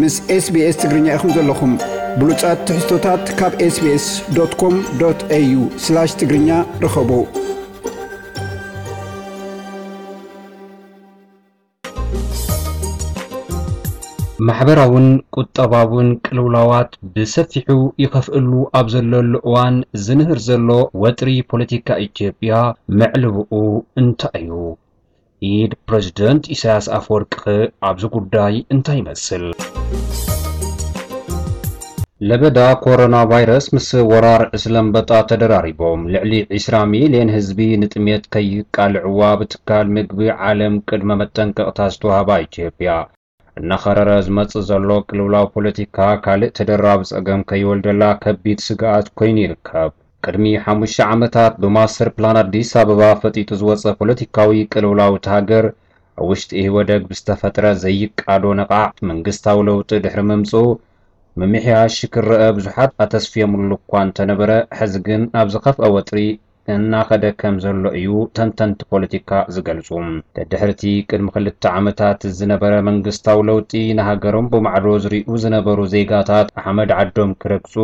ምስ SBS ትግርኛ ኢኹም ዘለኹም። ብሉጻት ትሕዝቶታት ካብ SBS.com.au/ትግርኛ ርኸቡ። ማሕበራውን ቁጠባውን ቅልውላዋት ብሰፊሑ ይኸፍእሉ ኣብ ዘለሉ እዋን ዝንህር ዘሎ ወጥሪ ፖለቲካ ኢትዮጵያ መዕልብኡ እንታይ እዩ? ኢድ ፕረዚደንት ኢሳያስ ኣፈወርቂ ኣብዚ ጉዳይ እንታይ ይመስል? ለበዳ ኮሮና ቫይረስ ምስ ወራር ዕስለ ኣንበጣ ተደራሪቦም ልዕሊ ዕስራ ሚልዮን ህዝቢ ንጥሜት ከይቃልዕዋ ብትካል ምግቢ ዓለም ቅድመ መጠንቀቕታ ዝተዋህባ ኢትዮጵያ፣ እናኸረረ ዝመጽእ ዘሎ ቅልውላው ፖለቲካ ካልእ ተደራቢ ጸገም ከይወልደላ ከቢድ ስግኣት ኮይኑ ይርከብ። ቅድሚ ሓሙሽተ ዓመታት ብማስተር ፕላን ኣዲስ ኣበባ ፈጢጡ ዝወጸ ፖለቲካዊ ቅልውላው እታ ሃገር፣ ኣብ ውሽጢ ኢህወደግ ብዝተፈጥረ ዘይቃዶ ነቓዕ መንግስታዊ ለውጢ ድሕሪ ምምጽኡ፣ ምምሕያሽ ክረአ ብዙሓት ኣተስፍዮምሉ እኳ እንተነበረ፣ ሕዚ ግን ናብ ዝኸፍአ ወጥሪ እናኸደ ከም ዘሎ እዩ ተንተንቲ ፖለቲካ ዝገልጹ። ደድሕርቲ ቅድሚ ክልተ ዓመታት ዝነበረ መንግስታዊ ለውጢ፣ ንሃገሮም ብማዕዶ ዝሪኡ ዝነበሩ ዜጋታት ኣሕመድ ዓዶም ክረግጹ፣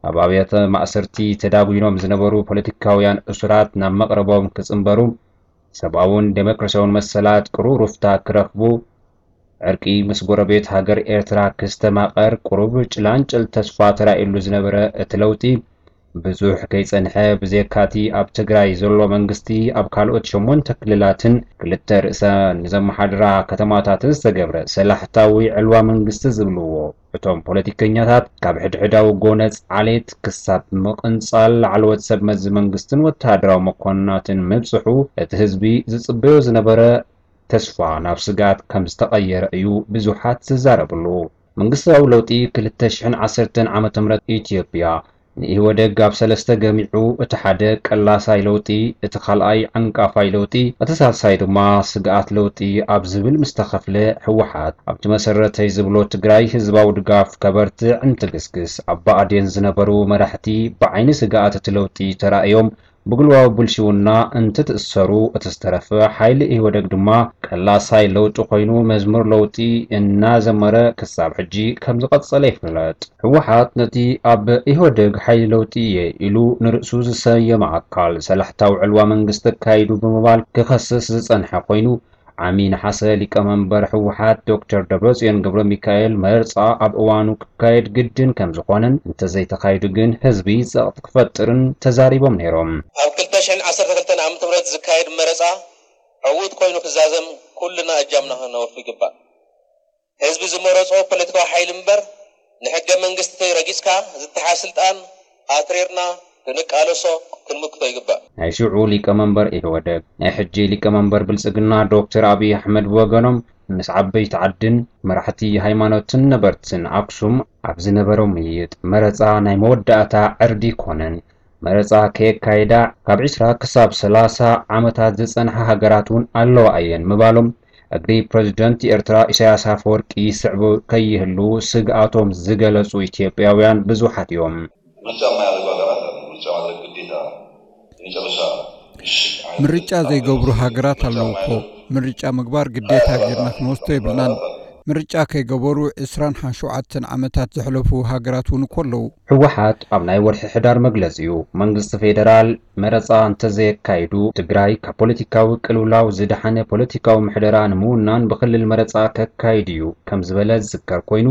ኣብ ኣብያተ ማእሰርቲ ተዳጒኖም ዝነበሩ ፖለቲካውያን እሱራት ናብ መቕረቦም ክጽንበሩ፣ ሰብኣውን ዴሞክራሲያውን መሰላት ቅሩብ ሩፍታ ክረኽቡ፣ ዕርቂ ምስ ጎረቤት ሃገር ኤርትራ ክስተማቐር ቅሩብ ጭላንጭል ተስፋ ተራእየሉ ዝነበረ እቲ ለውጢ፣ ብዙሕ ከይጸንሐ፣ ብዘይካቲ ኣብ ትግራይ ዘሎ መንግስቲ፣ ኣብ ካልኦት ሸሞንተ ክልላትን ክልተ ርእሰ ንዘመሓድራ ከተማታትን ዝተገብረ ሰላሕታዊ ዕልዋ መንግስቲ ዝብልዎ፣ እቶም ፖለቲከኛታት ካብ ሕድሕዳዊ ጎነጽ ዓሌት ክሳብ ምቕንጻል ላዕለዎት ሰብ መዚ መንግስትን ወተሃደራዊ መኮንናትን ምብጽሑ፣ እቲ ህዝቢ ዝጽበዮ ዝነበረ ተስፋ ናብ ስግኣት ከም ዝተቐየረ እዩ ብዙሓት ዝዛረብሉ። መንግስታዊ ለውጢ ክልተ ሽሕን ዓሰርተን ዓመተ ምህረት ኢትዮጵያ ንኢህወደግ ኣብ ሰለስተ ገሚዑ፣ እቲ ሓደ ቀላሳይ ለውጢ፣ እቲ ካልኣይ ዓንቃፋይ ለውጢ፣ እቲ ሳልሳይ ድማ ስግኣት ለውጢ ኣብ ዝብል ምስ ተኸፍለ፣ ህወሓት ኣብቲ መሰረተይ ዝብሎ ትግራይ ህዝባዊ ድጋፍ ከበርትዕ እንትግስግስ፣ ኣብ ብኣዴን ዝነበሩ መራሕቲ ብዓይኒ ስግኣት እቲ ለውጢ ተራእዮም ብግልባዊ ብልሽውና እንትትእሰሩ፣ እቲ ዝተረፈ ሓይሊ ኢህወደግ ድማ ቀላሳይ ለውጢ ኮይኑ መዝሙር ለውጢ እናዘመረ ክሳብ ሕጂ ከም ዝቐጸለ ይፍለጥ። ህወሓት ነቲ ኣብ ኢህወደግ ሓይሊ ለውጢ እየ ኢሉ ንርእሱ ዝሰየመ ኣካል ሰላሕታዊ ዕልዋ መንግስቲ ኣካይዱ ብምባል ክኸስስ ዝጸንሐ ኮይኑ፣ ዓሚ ነሓሰ ሊቀመንበር ህወሓት ዶክተር ደብረጽዮን ገብረሚካኤል መርጻ ኣብ እዋኑ ክካየድ ግድን ከም ዝኾነን፣ እንተዘይተኻይዱ ግን ህዝቢ ጸቕጢ ክፈጥርን ተዛሪቦም ነይሮም። ኣብ ክልተ ሽሕን ዓሰርተ ክልተን ዓመተ ምህረት ዝካየድ መረጻ ዕዉት ኮይኑ ክዛዘም ኩልና እጃምና ከነወፊ ይግባእ። ህዝቢ ዝመረጾ ፖለቲካዊ ሓይሊ እምበር፣ ንሕገ መንግስቲ ረጊጽካ ዝተሓዝ ስልጣን ኣትሪርና ክንቃለሶ ክንምክቶ ይግባእ። ናይ ሽዑ ሊቀመንበር ኢህወደግ፣ ናይ ሕጂ ሊቀመንበር ብልጽግና ዶክተር ኣብይ ኣሕመድ ብወገኖም፣ ምስ ዓበይቲ ዓድን መራሕቲ ሃይማኖትን ነበርትን ኣክሱም ኣብ ዝነበሮም ምይይጥ፣ መረጻ ናይ መወዳእታ ዕርዲ ኣይኮነን። መረጻ ከየካየዳ ካብ ዕስራ ክሳብ ሰላሳ ዓመታት ዝጸንሓ ሃገራት እውን ኣለዋ እየን ምባሎም፣ እግሪ ፕረዚደንት ኤርትራ ኢሳያስ ኣፈወርቂ ይስዕቡ ከይህሉ ስግኣቶም ዝገለጹ ኢትዮጵያውያን ብዙሓት እዮም። ምርጫ የማያደርጉ ሀገራት አሉ። ምርጫ ማድረግ ግዴታ የመጨረሻ ምሽግ አይነት ምርጫ ዘይገብሩ ሃገራት ኣለዉ እኮ። ምርጫ ምግባር ግዴታ ጌርና ክንወስዶ የብልናን። ምርጫ ከይገበሩ ዕስራን ሸውዓተን ዓመታት ዘሕለፉ ሃገራት እውን እኮ ኣለዉ። ህወሓት ኣብ ናይ ወርሒ ሕዳር መግለጺኡ፣ መንግስቲ ፌደራል መረጻ እንተዘየካይዱ፣ ትግራይ ካብ ፖለቲካዊ ቅልውላው ዝደሓነ ፖለቲካዊ ምሕደራ ንምውናን ብክልል መረጻ ከካይድ እዩ ከም ዝበለ ዝዝከር ኮይኑ፣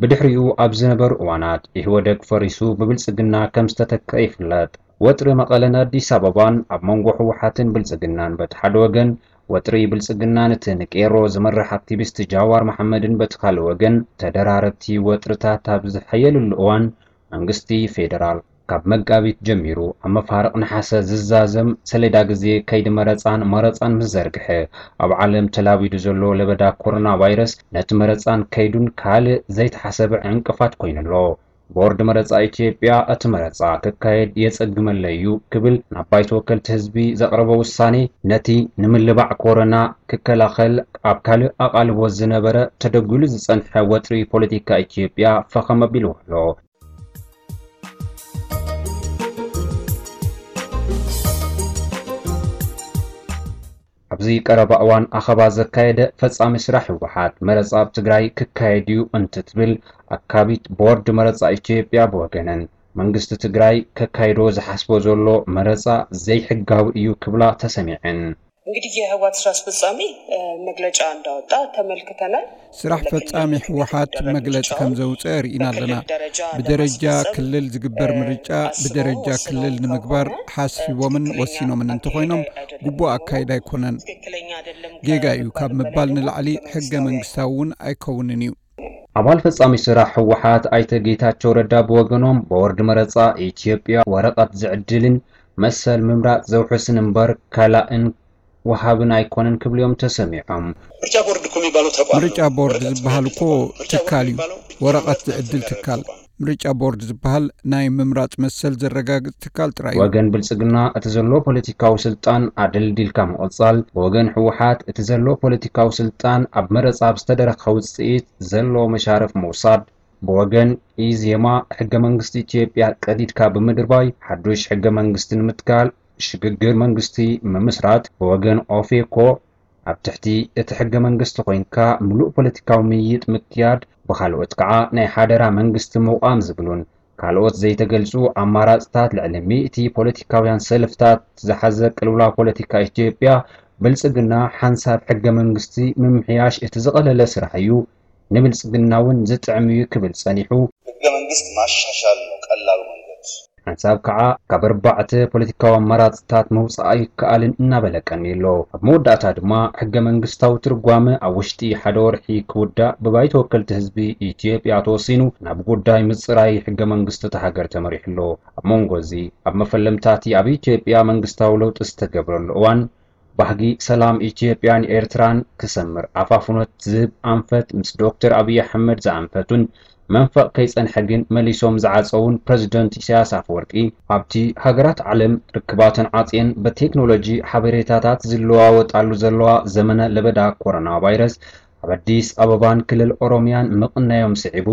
ብድሕሪኡ ኣብ ዝነበሩ እዋናት ኢህወደግ ፈሪሱ ብብልጽግና ከም ዝተተክአ ይፍለጥ። ወጥሪ መቐለን ኣዲስ ኣበባን ኣብ መንጎ ህወሓትን ብልጽግናን በቲ ሓደ ወገን፣ ወጥሪ ብልጽግናን እቲ ንቄሮ ዝመርሕ ኣክቲቪስት ጃዋር መሓመድን በቲ ካልእ ወገን፣ ተደራረብቲ ወጥርታት ኣብ ዝሓየልሉ እዋን፣ መንግስቲ ፌደራል ካብ መጋቢት ጀሚሩ ኣብ መፋርቕ ነሓሰ ዝዛዘም ሰሌዳ ግዜ ከይዲ መረጻን መረጻን ምስ ዘርግሐ፣ ኣብ ዓለም ተላቢዱ ዘሎ ለበዳ ኮሮና ቫይረስ ነቲ መረጻን ከይዱን ካልእ ዘይተሓሰበ ዕንቅፋት ኮይኑ ኣሎ። ቦርድ መረጻ ኢትዮጵያ እቲ መረጻ ክካየድ የጸግመለይ እዩ ክብል ናብ ባይቶ ወከልቲ ህዝቢ ዘቕረቦ ውሳኔ፣ ነቲ ንምልባዕ ኮሮና ክከላኸል ኣብ ካልእ ኣቓልቦ ዝነበረ ተደጒሉ ዝጸንሐ ወጥሪ ፖለቲካ ኢትዮጵያ ፈኸም ኣቢልዎ ኣሎ። ኣብ ኣብዚ ቀረባ እዋን ኣኸባ ዘካየደ ፈጻሚ ስራሕ ህወሓት መረጻ ኣብ ትግራይ ክካየድ እዩ እንትትብል ኣካቢት ቦርድ መረጻ ኢትዮጵያ ብወገነን መንግስቲ ትግራይ ከካይዶ ዝሓስቦ ዘሎ መረጻ ዘይሕጋዊ እዩ ክብላ ተሰሚዐን። እንግዲህ የህወሓት ስራ አስፈጻሚ መግለጫ እንዳወጣ ተመልክተናል። ስራሕ ፈጻሚ ህወሓት መግለጺ ከም ዘውፅአ ርኢና ኣለና። ብደረጃ ክልል ዝግበር ምርጫ ብደረጃ ክልል ንምግባር ሓስቦምን ወሲኖምን እንተኾይኖም ግቡእ ኣካይዳ ኣይኮነን። ጌጋ እዩ ካብ ምባል ንላዕሊ ሕገ መንግስታዊ እውን ኣይከውንን እዩ። ኣባል ፈጻሚ ስራሕ ህወሓት ኣይተ ጌታቸው ረዳ ብወገኖም ቦርድ መረጻ ኢትዮጵያ ወረቐት ዝዕድልን መሰል ምምራጽ ዘውሕስን እምበር ከላእን ወሃብን ኣይኮነን ክብሉ እዮም ተሰሚዖም። ምርጫ ቦርድ እኮ የሚባለው ተቋም ምርጫ ቦርድ ዝበሃል እኮ ትካል እዩ፣ ወረቐት ዝዕድል ትካል። ምርጫ ቦርድ ዝበሃል ናይ ምምራጽ መሰል ዘረጋግጽ ትካል ጥራይ እዩ። ወገን ብልጽግና እቲ ዘሎ ፖለቲካዊ ስልጣን ኣደልዲልካ ምቕጻል፣ ብወገን ህወሓት እቲ ዘሎ ፖለቲካዊ ስልጣን ኣብ መረጻ ኣብ ዝተደረኸ ውጽኢት ዘሎ መሻርፍ ምውሳድ፣ ብወገን ኢዜማ ሕገ መንግስቲ ኢትዮጵያ ቀዲድካ ብምድርባይ ሓዱሽ ሕገ መንግስቲ ንምትካል ሽግግር መንግስቲ ምምስራት፣ ብወገን ኦፌኮ ኣብ ትሕቲ እቲ ሕገ መንግስቲ ኮይንካ ምሉእ ፖለቲካዊ ምይይጥ ምክያድ፣ ብኻልኦት ከዓ ናይ ሓደራ መንግስቲ ምቋም ዝብሉን ካልኦት ዘይተገልጹ ኣማራፅታት ልዕሊ ሚእቲ ፖለቲካውያን ሰልፍታት ዝሓዘ ቅልውላው ፖለቲካ ኢትዮጵያ ብልፅግና ሓንሳብ ሕገ መንግስቲ ምምሕያሽ እቲ ዝቐለለ ስራሕ እዩ፣ ንብልፅግና እውን ዝጥዕም እዩ ክብል ፀኒሑ። ህገ መንግስት ማሻሻል ነው ቀላሉ መንገድ። ሓንሳብ ከዓ ካብ ኣርባዕተ ፖለቲካዊ ኣማራፅታት ምውፃእ ኣይከኣልን እናበለ ቀኒሎ። ኣብ መወዳእታ ድማ ሕገ መንግስታዊ ትርጓመ ኣብ ውሽጢ ሓደ ወርሒ ክውዳእ ብባይቶ ወከልቲ ህዝቢ ኢትዮጵያ ተወሲኑ ናብ ጉዳይ ምፅራይ ሕገ መንግስቲ እታ ሃገር ተመሪሑ ኣሎ። ኣብ መንጎ እዚ ኣብ መፈለምታቲ ኣብ ኢትዮጵያ መንግስታዊ ለውጢ ዝተገብረሉ እዋን ባህጊ ሰላም ኢትዮጵያን ኤርትራን ክሰምር ኣፋፍኖት ዝህብ ኣንፈት ምስ ዶክተር ኣብይ ኣሕመድ ዝኣንፈቱን መንፈቕ ከይጸንሐ ግን መሊሶም ዝዓጸውን ፕረዚደንት ኢሳያስ ኣፈወርቂ ኣብቲ ሃገራት ዓለም ርክባተን ዓጽየን በቴክኖሎጂ ሓበሬታታት ዝለዋወጣሉ ዘለዋ ዘመነ ለበዳ ኮሮና ቫይረስ ኣብ ኣዲስ ኣበባን ክልል ኦሮሚያን ምቕናዮም ስዒቡ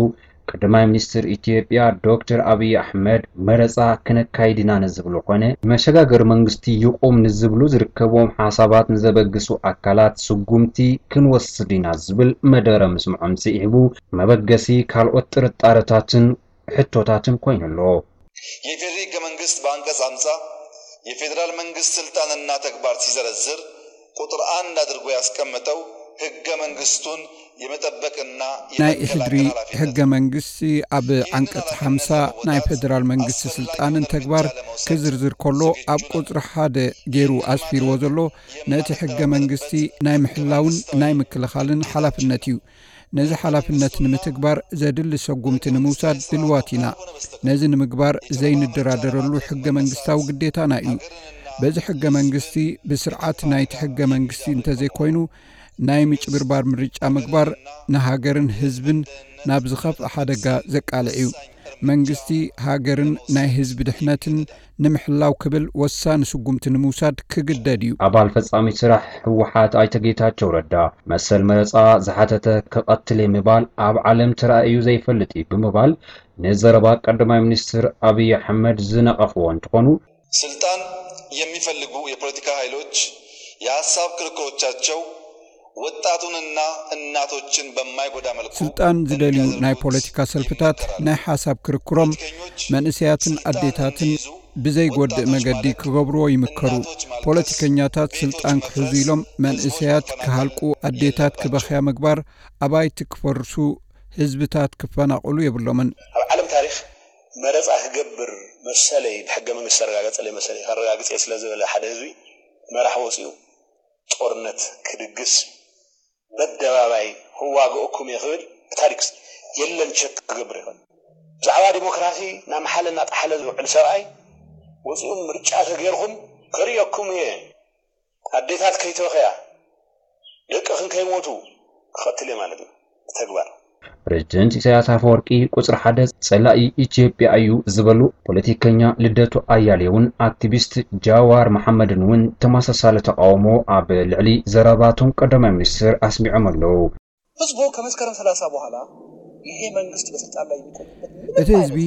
ቀዳማይ ሚኒስትር ኢትዮጵያ ዶክተር ኣብይ ኣሕመድ መረፃ ክነካይድ ኢና ንዝብሉ ኮነ መሸጋገሪ መንግስቲ ይቑም ንዝብሉ ዝርከብዎም ሓሳባት ንዘበግሱ ኣካላት ስጉምቲ ክንወስድ ኢና ዝብል መደረ ምስምዖም ስዒቡ መበገሲ ካልኦት ጥርጣረታትን ሕቶታትን ኮይኑ ኣሎ። የኢፌዴሪ ህገ መንግስት በአንቀጽ አምሳ የፌዴራል መንግስት ስልጣንና ተግባር ሲዘረዝር ቁጥር አንድ አድርጎ ያስቀመጠው ህገ መንግስቱን የመጠበቅና ናይ ኢሕድሪ ህገ መንግስቲ ኣብ ዓንቀጽ ሓምሳ ናይ ፌደራል መንግስቲ ስልጣንን ተግባር ክዝርዝር ከሎ ኣብ ቁጽሪ ሓደ ገይሩ ኣስፊርዎ ዘሎ ነቲ ህገ መንግስቲ ናይ ምሕላውን ናይ ምክልኻልን ሓላፍነት እዩ። ነዚ ሓላፍነት ንምትግባር ዘድሊ ሰጉምቲ ንምውሳድ ድልዋት ኢና። ነዚ ንምግባር ዘይንደራደረሉ ሕገ መንግስታዊ ግዴታና እዩ። በዚ ሕገ መንግስቲ ብስርዓት ናይቲ ሕገ መንግስቲ እንተዘይኮይኑ ናይ ምጭብርባር ምርጫ ምግባር ንሃገርን ህዝብን ናብ ዝኸፍእ ሓደጋ ዘቃልዕ እዩ። መንግስቲ ሃገርን ናይ ህዝቢ ድሕነትን ንምሕላው ክብል ወሳኒ ስጉምቲ ንምውሳድ ክግደድ እዩ። ኣባል ፈጻሚት ስራሕ ህወሓት ኣይተ ጌታቸው ረዳ መሰል መረፃ ዝሓተተ ክቐትል እየ ምባል ኣብ ዓለም ተራእዩ ዘይፈልጥ እዩ ብምባል ንዘረባ ቀዳማይ ሚኒስትር ኣብይ ኣሕመድ ዝነቐፍዎ እንትኾኑ ስልጣን የሚፈልጉ የፖለቲካ ኃይሎች የሐሳብ ክርክሮቻቸው ወጣቱንና እናቶችን በማይጎዳ መልኩ ስልጣን ዝደልዩ ናይ ፖለቲካ ሰልፍታት ናይ ሓሳብ ክርክሮም መንእሰያትን ኣዴታትን ብዘይጎድእ መገዲ ክገብርዎ ይምከሩ። ፖለቲከኛታት ስልጣን ክሕዙ ኢሎም መንእሰያት ክሃልቁ፣ ኣዴታት ክበኽያ ምግባር፣ ኣባይቲ ክፈርሱ፣ ህዝብታት ክፈናቕሉ የብሎምን። ኣብ ዓለም ታሪኽ መረፃ ክገብር መሰለይ ብሕገ መንግስቲ ኣረጋገፀለይ መሰለይ ከረጋግፀ ስለ ዝበለ ሓደ ህዝቢ መራሕ ወፂኡ ጦርነት ክድግስ በደባባይ ክዋግኦኩም እየ ክብል ብታሪክ የለን ቸክ ክገብር ይኽእል። ብዛዕባ ዲሞክራሲ እናመሓለ እናጠሓለ ዝውዕል ሰብኣይ ወፂኡ ምርጫ ተገይርኩም ከርእየኩም እየ ኣዴታት ከይተወኸያ ደቅኽን ከይሞቱ ክቐትል እየ ማለት እዩ ብተግባር። ፕሬዝደንት ኢሳያስ ኣፈወርቂ ቁፅሪ ሓደ ፀላኢ ኢትዮጵያ እዩ ዝበሉ ፖለቲከኛ ልደቱ ኣያሌውን ኣክቲቪስት ጃዋር መሓመድን እውን ተመሳሳሊ ተቃውሞ ኣብ ልዕሊ ዘረባቶም ቀዳማይ ሚኒስትር ኣስሚዖም ኣለዉ። ህዝቡ ከመስከረም ሰላሳ በኋላ ይሄ መንግስት በስልጣን ላይ የሚቆይበት ምንም እቲ ህዝቢ፣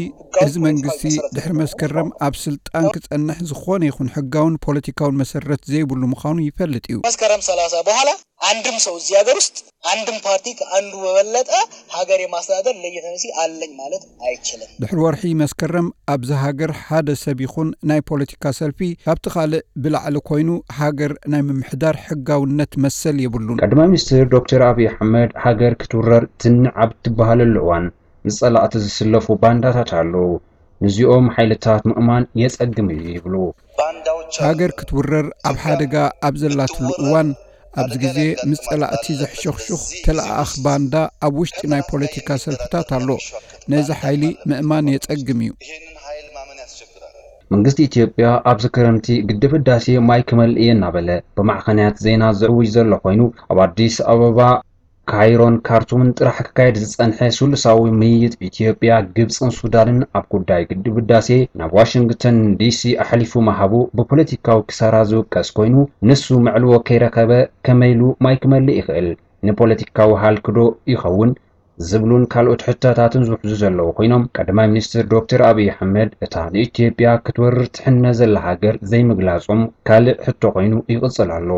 እዚ መንግስቲ ድሕሪ መስከረም ኣብ ስልጣን ክጸንሕ ዝኾነ ይኹን ሕጋውን ፖለቲካውን መሰረት ዘይብሉ ምዃኑ ይፈልጥ እዩ። መስከረም ሰላሳ በኋላ አንድም ሰው እዚህ ሀገር ውስጥ አንድም ፓርቲ ከአንዱ በበለጠ ሀገር የማስተዳደር ሌጂቲመሲ አለኝ ማለት አይችልም። ድሕሪ ወርሒ መስከረም ኣብዚ ሃገር ሓደ ሰብ ይኹን ናይ ፖለቲካ ሰልፊ ካብቲ ካልእ ብላዕሊ ኮይኑ ሃገር ናይ ምምሕዳር ሕጋውነት መሰል የብሉን። ቀዳማይ ሚኒስትር ዶክተር ኣብይ ኣሕመድ ሃገር ክትውረር ትንዕ ኣብ ትበሃለሉ እዋን ምስ ጸላእቲ ዝስለፉ ባንዳታት ኣለዉ። ንዚኦም ሓይልታት ምእማን የጸግም እዩ ይብሉ። ሃገር ክትውረር ኣብ ሓደጋ ኣብ ዘላትሉ እዋን ኣብዚ ግዜ ምስ ጸላእቲ ዘሕሸኽሹኽ ተለኣኣኽ ባንዳ ኣብ ውሽጢ ናይ ፖለቲካ ሰልፍታት ኣሎ። ነዚ ሓይሊ ምእማን የጸግም እዩ። መንግስቲ ኢትዮጵያ ኣብዚ ክረምቲ ግድብ ህዳሴ ማይ ክመልእ እየ እናበለ ብማዕኸናት ዜና ዝዕውጅ ዘሎ ኮይኑ ኣብ ኣዲስ ኣበባ ካይሮን ካርቱምን ጥራሕ ክካየድ ዝጸንሐ ስሉሳዊ ምይይጥ ኢትዮጵያ፣ ግብጽን ሱዳንን ኣብ ጉዳይ ግድብ ህዳሴ ናብ ዋሽንግተን ዲሲ ኣሕሊፉ ምሃቡ ብፖለቲካዊ ክሳራ ዝውቀስ ኮይኑ ንሱ መዕልዎ ከይረኸበ ከመይ ኢሉ ማይ ክመልእ ይኽእል? ንፖለቲካዊ ሃልክዶ ይኸውን? ዝብሉን ካልኦት ሕቶታትን ዝውሕዙ ዘለዉ ኮይኖም ቀዳማይ ሚኒስትር ዶክተር ኣብይ ኣሕመድ እታ ንኢትዮጵያ ክትወርር ትሕነ ዘላ ሃገር ዘይምግላጾም ካልእ ሕቶ ኮይኑ ይቕጽል ኣሎ።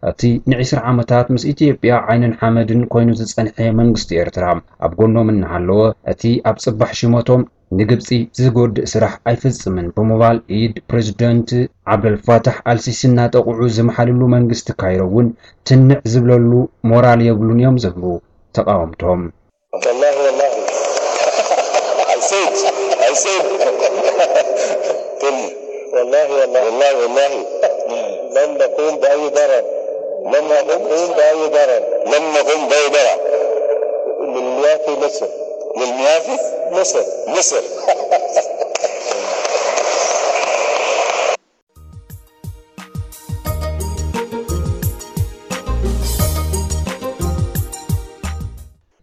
እቲ ንዒስራ ዓመታት ምስ ኢትዮጵያ ዓይንን ሓመድን ኮይኑ ዝጸንሐ መንግስቲ ኤርትራ ኣብ ጎኖም እናሃለወ እቲ ኣብ ጽባሕ ሽመቶም ንግብጺ ዝጎድእ ስራሕ ኣይፍጽምን ብምባል ኢድ ፕሬዝደንት ዓብደልፋታሕ ኣልሲሲ እናጠቕዑ ዝመሓልሉ መንግስቲ ካይሮ እውን ትንዕ ዝብለሉ ሞራል የብሉን እዮም ዝብሉ ተቓወምቶም። والله والله I said I said والله والله والله والله لن نقوم بأي ضرر لن نقوم بأي ضرر لن نقوم بأي ضرر للمياه في مصر للمياه في مصر مصر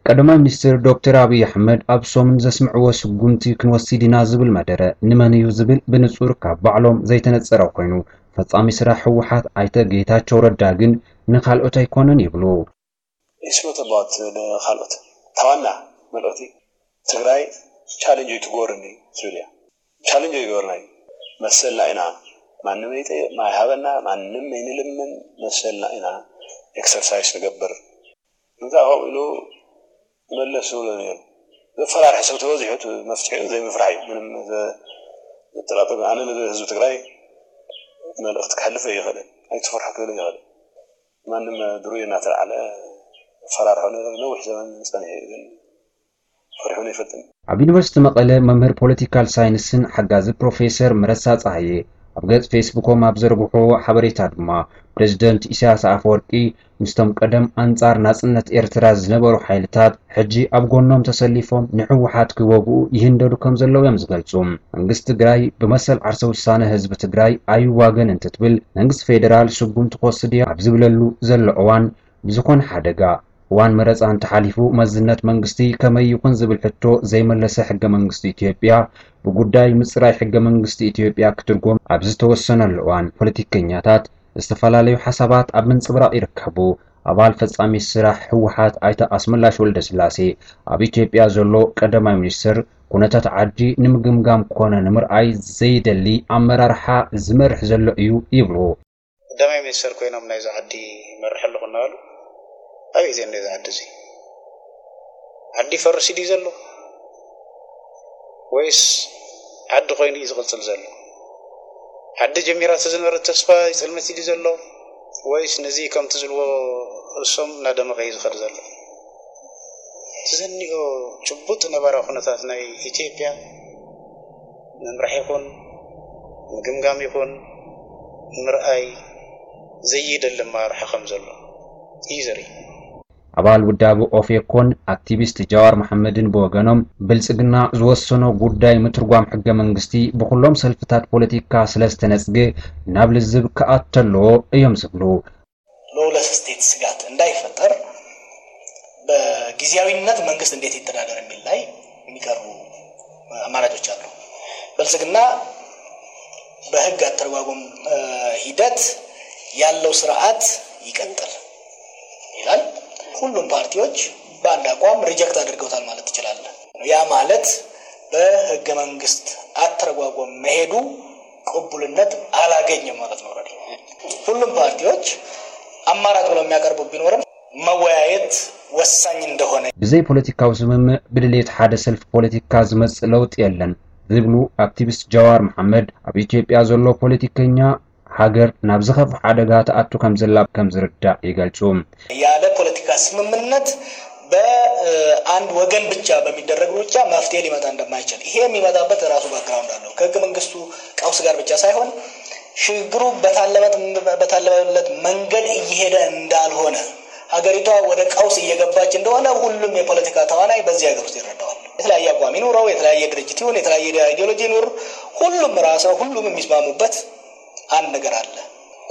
ቀዳማይ ሚኒስትር ዶክተር ኣብይ ኣሕመድ ኣብ ሰሙን ዘስምዕዎ ስጉምቲ ክንወስድ ኢና ዝብል መደረ ንመን እዩ ዝብል ብንጹር ካብ ባዕሎም ዘይተነጸረ ኮይኑ ፈጻሚ ስራሕ ህወሓት ኣይተ ጌታቸው ረዳ ግን ንካልኦት ኣይኮነን ይብሉ። It's not about ካልኦት ታዋና መልኦቲ ትግራይ ቻሌንጅ ትጎርኒ ትብል እያ። ቻሌንጅ ይገበርና እዩ መሰልና ኢና ማንም ይጠይቕ ማይ ሃበና ማንም ይንልምን መሰልና ኢና ኤክሰርሳይስ ንገብር። እንታይ ከምኡ ኢሉ መለስ ዝብሎ ነይሩ። ዘፈራርሕ ሰብ ተበዚሑ እቲ መፍትሒኡ ዘይምፍራሕ እዩ። ምንም ዘጠራጥር ኣነ ንህዝቢ ትግራይ መልእኽቲ ክሕልፍ ኣይኽእልን። ኣይትፍርሑ ክብል ኣይኽእልን። ማንም ድሩይ እናተላዕለ ፈራርሖ ነገር ነዊሕ ዘመን ጸኒሑ እዩ ግን ፈሪሑን ኣይፈልጥን። ኣብ ዩኒቨርሲቲ መቐለ መምህር ፖለቲካል ሳይንስን ሓጋዚ ፕሮፌሰር መረሳ ጸሃየ ኣብ ገጽ ፌስቡኮም ኣብ ዘርግሕዎ ሓበሬታ ድማ ፕሬዝደንት ኢሳያስ ኣፈወርቂ ምስቶም ቀደም ኣንጻር ናጽነት ኤርትራ ዝነበሩ ሓይልታት ሕጂ ኣብ ጎኖም ተሰሊፎም ንህወሓት ክወግኡ ይህንደዱ ከም ዘለዉ እዮም ዝገልጹ። መንግስቲ ትግራይ ብመሰል ዓርሰ ውሳነ ህዝቢ ትግራይ ኣይዋገን እንትትብል መንግስቲ ፌደራል ስጉምቲ ክወስድ እየ ኣብ ዝብለሉ ዘሎ እዋን ብዝኾነ ሓደጋ እዋን መረፃ እንተሓሊፉ መዝነት መንግስቲ ከመይ ይኹን ዝብል ሕቶ ዘይመለሰ ሕገ መንግስቲ ኢትዮጵያ ብጉዳይ ምፅራይ ሕገ መንግስቲ ኢትዮጵያ ክትርጎም ኣብ ዝተወሰነሉ እዋን ፖለቲከኛታት ዝተፈላለዩ ሓሳባት ኣብ ምንፅብራቕ ይርከቡ። ኣባል ፈፃሚ ስራሕ ህወሓት ኣይተ ኣስመላሽ ወልደስላሴ ኣብ ኢትዮጵያ ዘሎ ቀዳማይ ሚኒስትር ኩነታት ዓዲ ንምግምጋም ኮነ ንምርኣይ ዘይደሊ ኣመራርሓ ዝመርሕ ዘሎ እዩ ይብሉ። ቀዳማይ ሚኒስተር ኮይኖም ናይዛ ዓዲ ይመርሕ ኣለኹ እናበሉ ኣበይ እዚኦም ናይዛ ዓዲ እዚ ዓዲ ይፈርስ ድዩ ዘሎ ወይስ ዓዲ ኮይኑ እዩ ዝቕፅል ዘሎ? ዓዲ ጀሚራቶ ዝነበረት ተስፋ ይፀልመት ድዩ ዘሎ ወይስ ነዚ ከምቲ ዝብልዎ እሶም እናደመቐ እዩ ዝኸድ ዘሎ? እቲ ዘኒኦ ጭቡጥ ነባራዊ ኩነታት ናይ ኢትዮጵያ ምምራሕ ይኹን ምግምጋም ይኹን ምርኣይ ዘይደሊ ኣመራርሓ ከም ዘሎ እዩ ዘርኢ። ኣባል ውዳበ ኦፌኮን ኣክቲቪስት ጃዋር መሓመድን ብወገኖም ብልፅግና ዝወሰኖ ጉዳይ ምትርጓም ሕገ መንግስቲ ብኩሎም ሰልፍታት ፖለቲካ ስለዝተነፅገ ናብ ልዝብ ክኣቱ ኣለዎ እዮም ዝብሉ። ሎውለስ ስቴት ስጋት እንዳይፈጠር በጊዜያዊነት መንግስት እንዴት ይተዳደር የሚል ላይ የሚቀርቡ አማራጮች አሉ። ብልጽግና በህግ አተረጓጎም ሂደት ያለው ስርዓት ይቀጥል ይላል። ሁሉም ፓርቲዎች በአንድ አቋም ሪጀክት አድርገውታል ማለት ትችላለህ። ያ ማለት በህገ መንግስት አተረጓጎም መሄዱ ቅቡልነት አላገኘም ማለት ነው። ሁሉም ፓርቲዎች አማራጭ ብለው የሚያቀርቡ ቢኖርም መወያየት ወሳኝ እንደሆነ። ብዘይ ፖለቲካዊ ስምምዕ ብድሌት ሓደ ሰልፊ ፖለቲካ ዝመጽእ ለውጥ የለን ዝብሉ ኣክቲቪስት ጃዋር መሓመድ፣ ኣብ ኢትዮጵያ ዘሎ ፖለቲከኛ ሃገር ናብ ዝኸፍእ ሓደጋ ትኣቱ ከም ዘላ ከም ዝርዳእ ይገልጹ። ያለ ፖለቲካ ስምምነት በአንድ ወገን ብቻ በሚደረግ ሩጫ መፍትሄ ሊመጣ እንደማይችል፣ ይሄ የሚመጣበት ራሱ ባክግራውንድ አለው። ከህገ መንግስቱ ቀውስ ጋር ብቻ ሳይሆን ሽግግሩ በታለመለት መንገድ እየሄደ እንዳልሆነ፣ ሀገሪቷ ወደ ቀውስ እየገባች እንደሆነ ሁሉም የፖለቲካ ተዋናይ በዚህ ሀገር ውስጥ ይረዳዋል። የተለያየ አቋም ይኑረው፣ የተለያየ ድርጅት ይሁን፣ የተለያየ አይዲዮሎጂ ይኑር፣ ሁሉም ራሰ ሁሉም የሚስማሙበት አንድ ነገር አለ።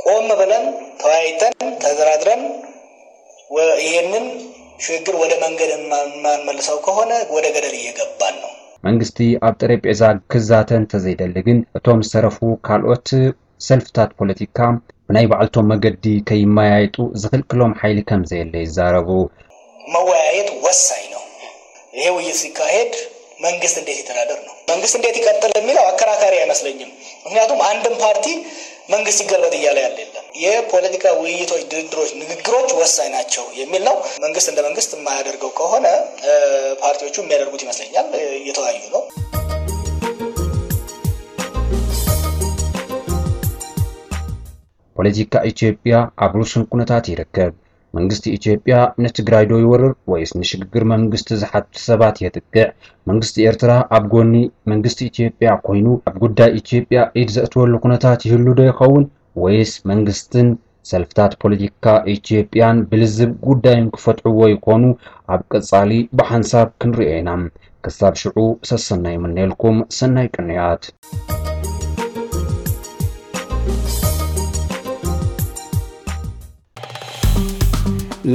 ቆም ብለን ተወያይተን ተደራድረን ይሄንን ሽግግር ወደ መንገድ የማንመልሰው ከሆነ ወደ ገደል እየገባን ነው። መንግስቲ ኣብ ጠረጴዛ ክዛተ እንተዘይደሊ ግን፣ እቶም ዝተረፉ ካልኦት ሰልፍታት ፖለቲካ ብናይ ባዕልቶም መገዲ ከይመያየጡ ዝኽልክሎም ሓይሊ ከም ዘየለ ይዛረቡ። መወያየት ወሳኝ ነው። ይሄ ውይይት ሲካሄድ መንግስት እንዴት ይተዳደር ነው። መንግስት እንዴት ይቀጥል የሚለው አከራካሪ አይመስለኝም። ምክንያቱም አንድም ፓርቲ መንግስት ይገልበጥ እያለ ያለ የለም። የፖለቲካ ውይይቶች፣ ድርድሮች፣ ንግግሮች ወሳኝ ናቸው የሚል ነው። መንግስት እንደ መንግስት የማያደርገው ከሆነ ፓርቲዎቹ የሚያደርጉት ይመስለኛል። እየተወያዩ ነው። ፖለቲካ ኢትዮጵያ ኣብ ርሱን ኩነታት ይርከብ። መንግስቲ ኢትዮጵያ ንትግራይ ዶ ይወርር ወይስ ንሽግግር መንግስቲ ዝሓቱ ሰባት የጥቅዕ? መንግስቲ ኤርትራ ኣብ ጎኒ መንግስቲ ኢትዮጵያ ኮይኑ ኣብ ጉዳይ ኢትዮጵያ ኢድ ዘእትወሉ ኩነታት ይህሉ ዶ ይኸውን? ወይስ መንግስትን ሰልፍታት ፖለቲካ ኢትዮጵያን ብልዝብ ጉዳዮም ክፈትሕዎ ይኾኑ? ኣብ ቀጻሊ ብሓንሳብ ክንሪኦ ኢና። ክሳብ ሽዑ ሰሰናይ ይምነየልኩም። ሰናይ ቅንያት።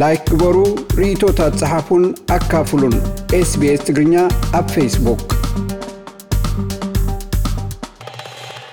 ላይክ ግበሩ፣ ርእይቶታት ጸሓፉን ኣካፍሉን። ኤስቢኤስ ትግርኛ ኣብ ፌስቡክ።